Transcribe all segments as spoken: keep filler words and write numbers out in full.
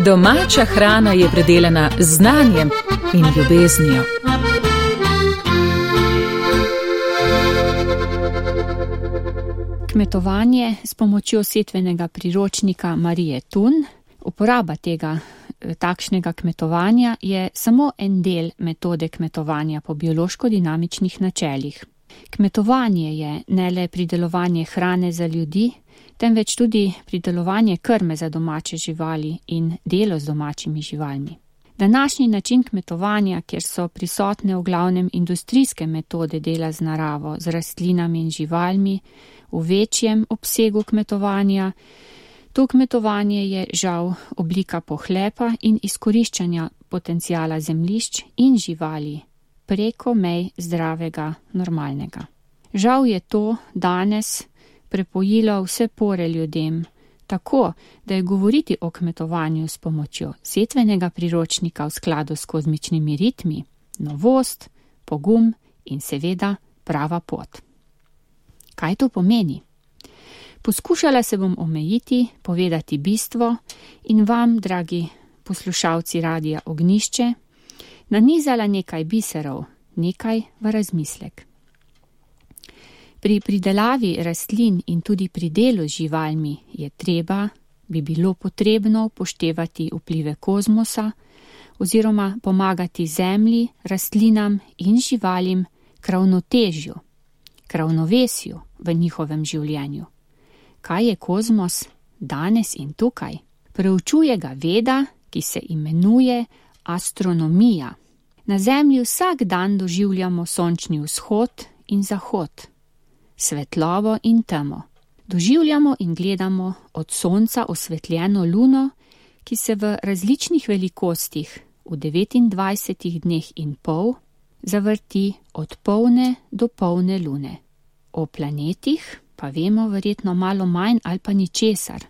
Domača hrana je predelana z znanjem in ljubeznijo. Kmetovanje s pomočjo setvenega priročnika Marije Tun. Uporaba tega takšnega kmetovanja je samo en del metode kmetovanja po biološko-dinamičnih načelih. Kmetovanje je ne le pridelovanje hrane za ljudi, temveč tudi pridelovanje krme za domače živali in delo z domačimi živalmi. Današnji način kmetovanja, kjer so prisotne v glavnem industrijske metode dela z naravo, z rastlinami in živalmi, v večjem obsegu kmetovanja, to kmetovanje je žal oblika pohlepa in izkoriščanja potencijala zemljišč in živali preko mej zdravega, normalnega. Žal je to danes prepojilo vse pore ljudem, tako, da je govoriti o kmetovanju s pomočjo setvenega priročnika v skladu s kozmičnimi ritmi novost, pogum in seveda prava pot. Kaj to pomeni? Poskušala se bom omejiti, povedati bistvo in vam, dragi poslušalci Radia Ognjišče, nanizala nekaj biserov, nekaj v razmislek. Pri pridelavi rastlin in tudi pri delu z živalmi je treba, bi bilo potrebno upoštevati vplive kozmosa oziroma pomagati zemlji, rastlinam in živalim k ravnotežju, k ravnovesju v njihovem življenju. Kaj je kozmos danes in tukaj? Preučuje ga veda, ki se imenuje astronomija. Na Zemlji vsak dan doživljamo sončni vzhod in zahod, svetlobo in temo. Doživljamo in gledamo od sonca osvetljeno luno, ki se v različnih velikostih v devetindvajsetih dneh in pol zavrti od polne do polne lune. O planetih pa vemo verjetno malo manj ali pa ničesar.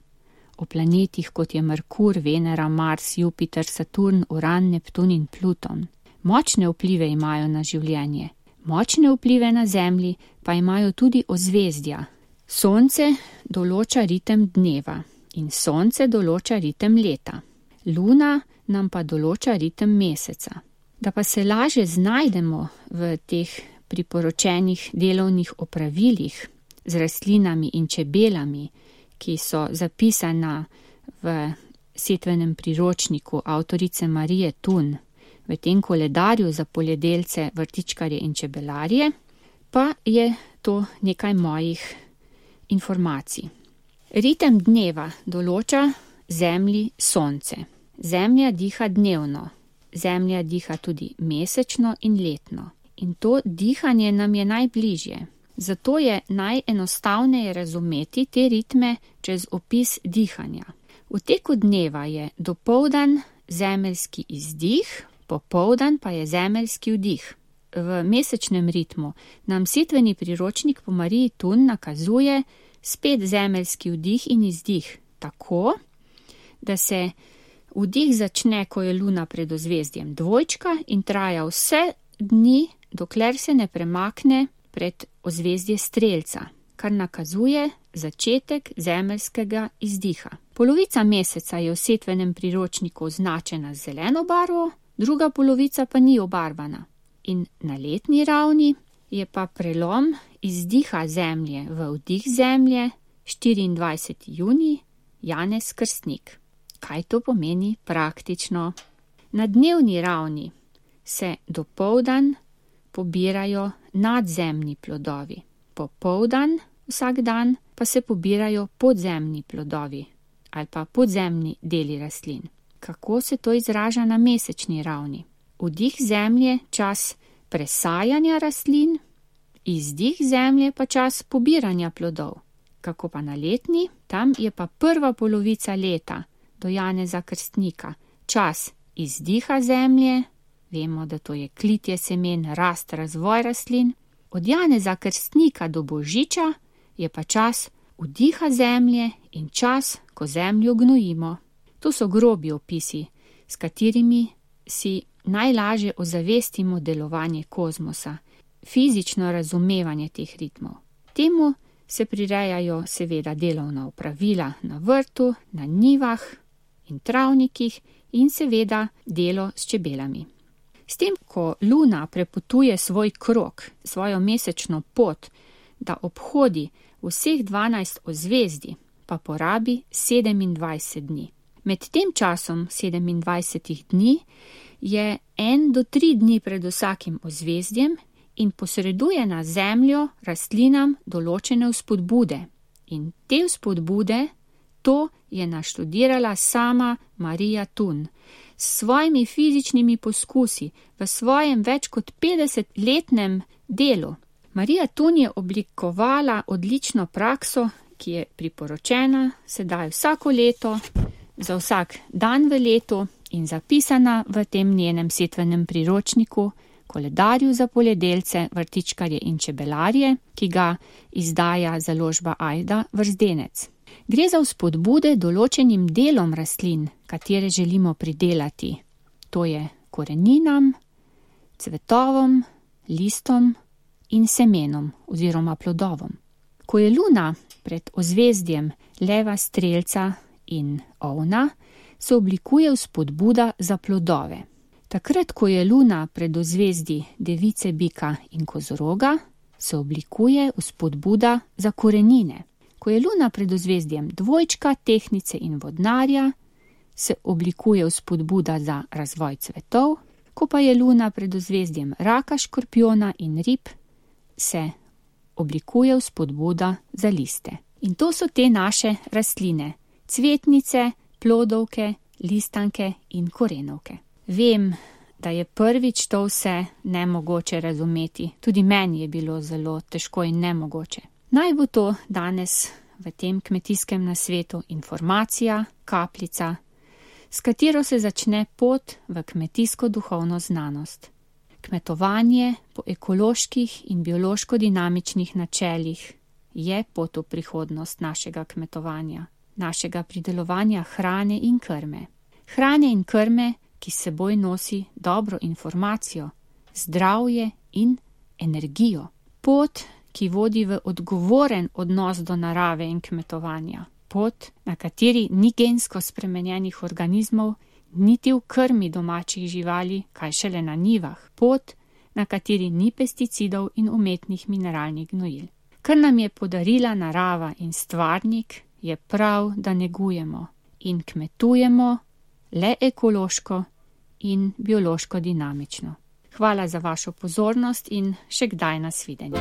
O planetih, kot je Merkur, Venera, Mars, Jupiter, Saturn, Uran, Neptun in Pluton. Močne vplive imajo na življenje. Močne vplive na Zemlji pa imajo tudi ozvezdja. Sonce določa ritem dneva in Sonce določa ritem leta. Luna nam pa določa ritem meseca. Da pa se laže znajdemo v teh priporočenih delovnih opravilih z rastlinami in čebelami, ki so zapisana v setvenem priročniku avtorice Marije Tun, v tem koledarju za poljedelce, vrtičkarje in čebelarje, pa je to nekaj mojih informacij. Ritem dneva določa Zemlji Sonce. Zemlja diha dnevno, Zemlja diha tudi mesečno in letno. In to dihanje nam je najbližje. Zato je najenostavneje razumeti te ritme čez opis dihanja. V teku dneva je dopoldan zemeljski izdih, popoldan pa je zemeljski vdih. V mesečnem ritmu nam setveni priročnik po Mariji Tun nakazuje spet zemeljski vdih in izdih, tako, da se vdih začne, ko je luna pred ozvezdjem dvojčka in traja vse dni, dokler se ne premakne pred ozvezdje strelca, kar nakazuje začetek zemeljskega izdiha. Polovica meseca je v setvenem priročniku označena z zeleno barvo, druga polovica pa ni obarvana. In na letni ravni je pa prelom izdiha Zemlje v vdih Zemlje štiriindvajseti junij, Janez Krstnik. Kaj to pomeni praktično? Na dnevni ravni se dopoldan pobirajo nadzemni plodovi. Popoldan vsak dan pa se pobirajo podzemni plodovi ali pa podzemni deli rastlin. Kako se to izraža na mesečni ravni? Vdih Zemlje čas presajanja rastlin, izdih Zemlje pa čas pobiranja plodov. Kako pa na letni? Tam je pa prva polovica leta do Janeza Krstnika čas izdiha Zemlje, vemo, da to je klitje semen, rast, razvoj rastlin. Od Janeza Krstnika do Božiča je pa čas vdiha Zemlje in čas, ko Zemljo gnojimo. To so grobi opisi, s katerimi si najlažje ozavestimo delovanje kozmosa, fizično razumevanje teh ritmov. Temu se prirejajo seveda delovna opravila na vrtu, na njivah in travnikih in seveda delo s čebelami. S tem, ko Luna prepotuje svoj krog, svojo mesečno pot, da obhodi vseh dvanajst ozvezdij, pa porabi sedemindvajset dni. Med tem časom sedemindvajsetih dni je en do tri dni pred vsakim ozvezdjem in posreduje na Zemljo rastlinam določene vzpodbude. In te vzpodbude, to je naštudirala sama Marija Thun. S svojimi fizičnimi poskusi v svojem več kot petdesetletnem delu. Marija Thun je oblikovala odlično prakso, ki je priporočena sedaj vsako leto, za vsak dan v letu in zapisana v tem njenem setvenem priročniku, koledarju za poljedelce, vrtičkarje in čebelarje, ki ga izdaja založba Ajda Vrzdence. Gre za vzpodbude določenim delom rastlin, katere želimo pridelati. To je koreninam, cvetovom, listom in semenom oziroma plodovom. Ko je Luna pred ozvezdjem leva, strelca in ovna, se oblikuje vzpodbuda za plodove. Takrat, ko je Luna pred ozvezdji device, bika in kozoroga, se oblikuje vzpodbuda za korenine. Ko je Luna pred ozvezdjem dvojčka, tehnice in vodnarja, se oblikuje vzpodbuda za razvoj cvetov. Ko pa je Luna pred ozvezdjem raka, škorpiona in rib, se oblikuje vzpodbuda za liste. In to so te naše rastline, cvetnice, plodovke, listanke in korenovke. Vem, da je prvič to vse nemogoče razumeti. Tudi meni je bilo zelo težko in nemogoče. Naj bo to danes v tem kmetijskem nasvetu informacija, kapljica, s katero se začne pot v kmetijsko duhovno znanost. Kmetovanje po ekoloških in biološko dinamičnih načelih je pot v prihodnost našega kmetovanja, našega pridelovanja hrane in krme. Hrane in krme, ki s seboj nosi dobro informacijo, zdravje in energijo. Pot, ki vodi v odgovoren odnos do narave in kmetovanja. Pot, na kateri ni gensko spremenjenih organizmov, niti v krmi domačih živali, kaj šele na njivah. Pot, na kateri ni pesticidov in umetnih mineralnih gnojil. Kar nam je podarila narava in stvarnik, je prav, da negujemo in kmetujemo le ekološko in biološko dinamično. Hvala za vašo pozornost in še kdaj nasvidenje.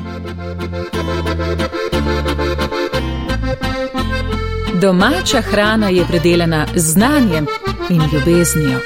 Domača hrana je predelana z znanjem in ljubeznijo.